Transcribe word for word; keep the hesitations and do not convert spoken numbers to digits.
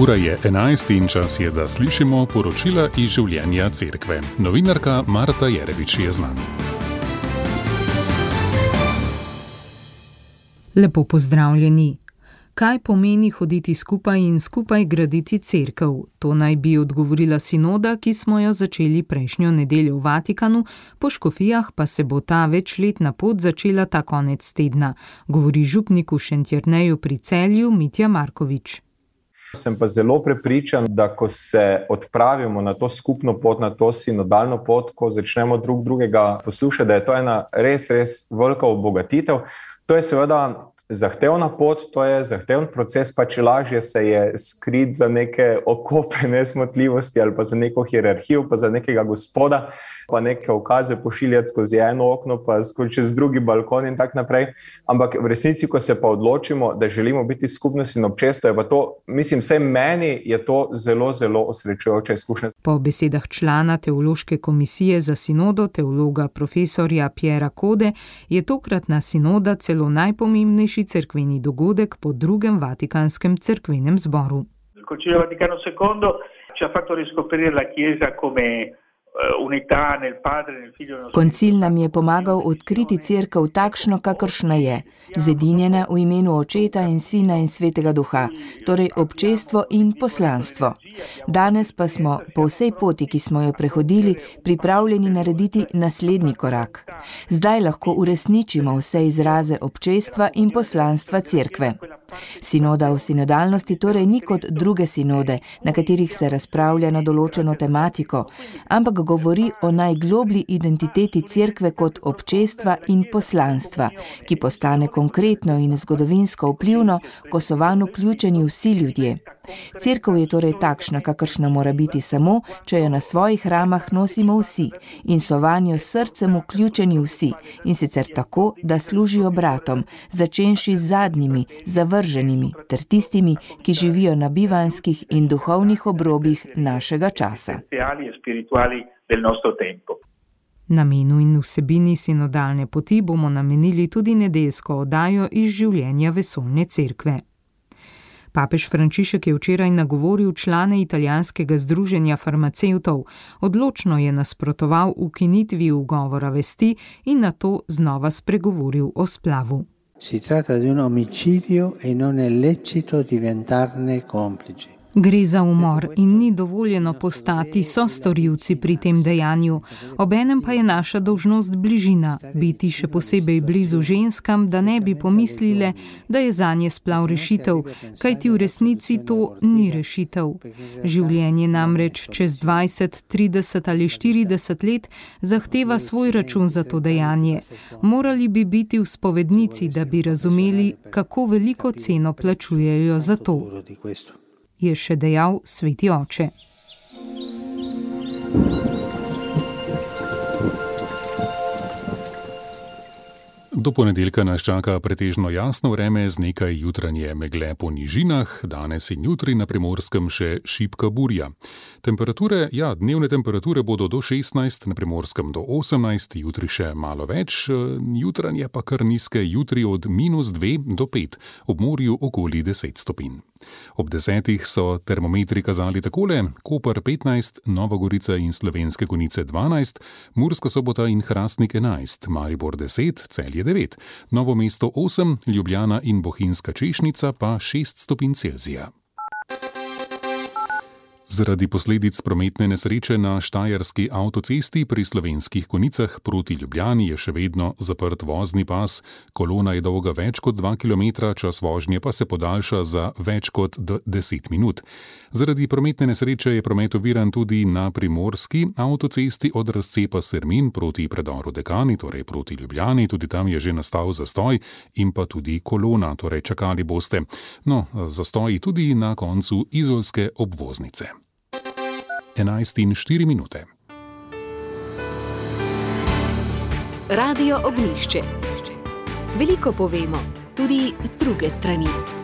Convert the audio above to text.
Ura je enajst in čas je, da slišimo poročila iz življenja cerkve. Novinarka Marta Jerevič je z nami. Lepo pozdravljeni. Kaj pomeni hoditi skupaj in skupaj graditi cerkev? To naj bi odgovorila sinoda, ki smo jo začeli prejšnjo nedeljo v Vatikanu, po škofijah pa se bo ta večletna pot začela ta konec tedna, govori župnik v Šentjerneju pri Celju Mitja Markovič. Sem pa zelo prepričan, da ko se odpravimo na to skupno pot, na to sinodalno pot, ko začnemo drug drugega poslušati, da je to ena res, res velika obogatitev. To je seveda zahtevna pot, to je zahteven proces, pa če lažje se je skrit za neke okope nesmotljivosti ali pa za neko hierarhijo, pa za nekega gospoda, pa neke ukaze pošiljati skozi eno okno, pa čez drugi balkon in tak naprej. Ampak v resnici, ko se pa odločimo, da želimo biti skupnost in občestvo, je pa to, mislim, vsaj meni je to zelo, zelo osrečujoča izkušnja. Po besedah člana teološke komisije za sinodo, teologa profesorja Piera Code, je tokratna sinoda celo najpomembnejši cerkveni dogodek po drugem Vatikanskem cerkvenem zboru. Il Concilio Vaticano secondo ci ha fatto riscoprire la Chiesa come unità nel Padre, nel Figlio e nello Spirito. Koncil nam je pomagal odkriti cerkev takšno, kakršna je, zedinjena v imenu Očeta in Sina in Svetega Duha, torej občestvo in poslanstvo. Danes pa smo po vsej poti, ki smo jo prehodili, pripravljeni narediti naslednji korak. Zdaj lahko uresničimo vse izraze občestva in poslanstva cerkve. Sinoda v sinodalnosti torej ni kot druge sinode, na katerih se razpravlja na določeno tematiko, ampak govori o najgloblji identiteti cerkve kot občestva in poslanstva, ki postane konkretno in zgodovinsko vplivno, ko so vanj vključeni vsi ljudje. Cerkev je torej takšna, kakršna mora biti samo, če jo na svojih ramah nosimo vsi in so vanjo s srcem vključeni vsi, in sicer tako, da služijo bratom, začenši z zadnjimi, zavrženimi, ter tistimi, ki živijo na bivanjskih in duhovnih obrobjih našega časa. Namenu in vsebini sinodalne poti bomo namenili tudi nedeljsko oddajo iz življenja vesoljne cerkve. Papež Frančišek je včeraj nagovoril člane italijanskega združenja farmacevtov, odločno je nasprotoval ukinitvi ugovora vesti in nato znova spregovoril o splavu. Si tratta di un omicidio e non è lecito diventarne complici. Gre za umor in ni dovoljeno postati sostorilci pri tem dejanju. Obenem pa je naša dolžnost bližina, biti še posebej blizu ženskam, da ne bi pomislile, da je zanje splav rešitev, kajti v resnici to ni rešitev. Življenje namreč čez dvajset, trideset ali štirideset let zahteva svoj račun za to dejanje. Morali bi biti v spovednici, da bi razumeli, kako veliko ceno plačujejo za to, je še dejal sveti oče. Do ponedeljka nas čaka pretežno jasno vreme z nekaj jutranje megle po nižinah, danes in jutri na Primorskem še šibka burja. Temperature, ja, dnevne temperature bodo do šestnajst, na Primorskem do osemnajst, jutri še malo več, jutranje pa kar nizke, jutri od minus dve do pet, ob morju okoli deset stopinj. Ob desetih so termometri kazali takole: Koper petnajst, Nova Gorica in Slovenske Konjice dvanajst, Murska Sobota in Hrastnik enajst, Maribor deset, Celje devet, Novo mesto osem, Ljubljana in Bohinjska Češnica pa šest stopinj Celzija. Zaradi posledic prometne nesreče na štajerski avtocesti pri Slovenskih Konjicah proti Ljubljani je še vedno zaprt vozni pas. Kolona je dolga več kot dva kilometra, čas vožnje pa se podaljša za več kot deset minut. Zaradi prometne nesreče je promet oviran tudi na primorski avtocesti od razcepa Sermin proti predoru Dekani, torej proti Ljubljani. Tudi tam je že nastal zastoj in pa tudi kolona, torej čakali boste. No, zastoji tudi na koncu izolske obvoznice. enajst in štiri minute. Radio Ognjišče. Veliko povemo, tudi z druge strani.